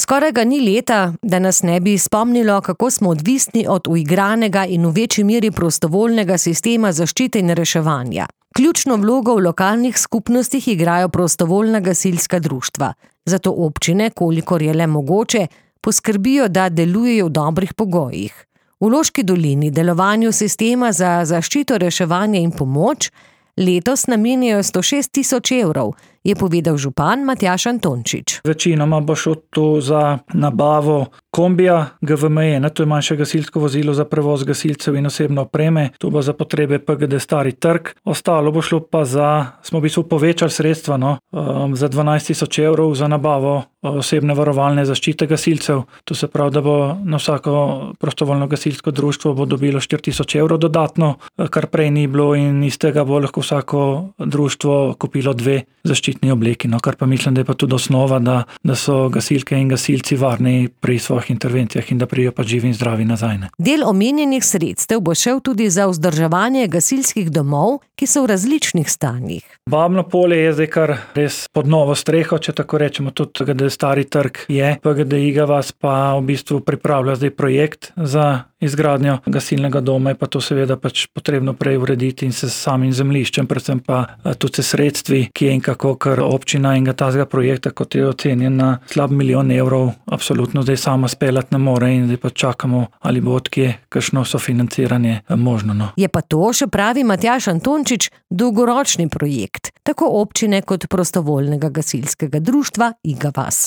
Skoraj ga ni leta, da nas ne bi spomnilo, kako smo odvisni od uigranega in v večji meri prostovoljnega sistema zaščite in reševanja. Ključno vlogo v lokalnih skupnostih igrajo prostovoljna gasilska društva. Zato občine, kolikor je le mogoče, poskrbijo, da delujejo v dobrih pogojih. V Loški dolini delovanju sistema za zaščito, reševanje in pomoč letos namenjajo 106 000 evrov, je povedal župan Matjaž Antončič. Večinoma bo šlo to za nabavo kombija GVM, to je manjše gasilsko vozilo za prevoz gasilcev in osebne opreme, to bo za potrebe PGD Stari trg. Ostalo bo šlo pa smo v bistvu povečali sredstva za 12 000 evrov za nabavo osebne varovalne zaščite gasilcev. To se pravi, da bo na vsako prostovoljno gasilsko društvo bo dobilo 4 000 evrov dodatno, kar prej ni bilo, in iz tega bo lahko vsako društvo kupilo 2 zaščitni obleki, kar pa mislim, da je pa tudi osnova, da so gasilke in gasilci varni pri svojih intervencijah in da prijo pa živi in zdravi nazaj. Del omenjenih sredstev bo šel tudi za vzdrževanje gasilskih domov, ki so v različnih stanjih. Babno polje je zdaj kar res pod novo streho, če tako rečemo, tudi PGD Stari trg je. PGD Iga vas pa v bistvu pripravlja zdaj projekt za izgradnjo gasilnega doma, je pa to seveda potrebno prej urediti in se s samim zemljiščem, predvsem pa tudi se sredstvi, ki je in kako, ker občina in tazga projekta, kot je ocenjen na slab 1 milijon evrov, absolutno zdaj sama speljati ne more in zdaj pa čakamo, ali bo odkje kakšno sofinanciranje možno. Je pa to, še pravi Matjaž Antončič, dolgoročni projekt, tako občine kot prostovoljnega gasilskega društva Iga vas.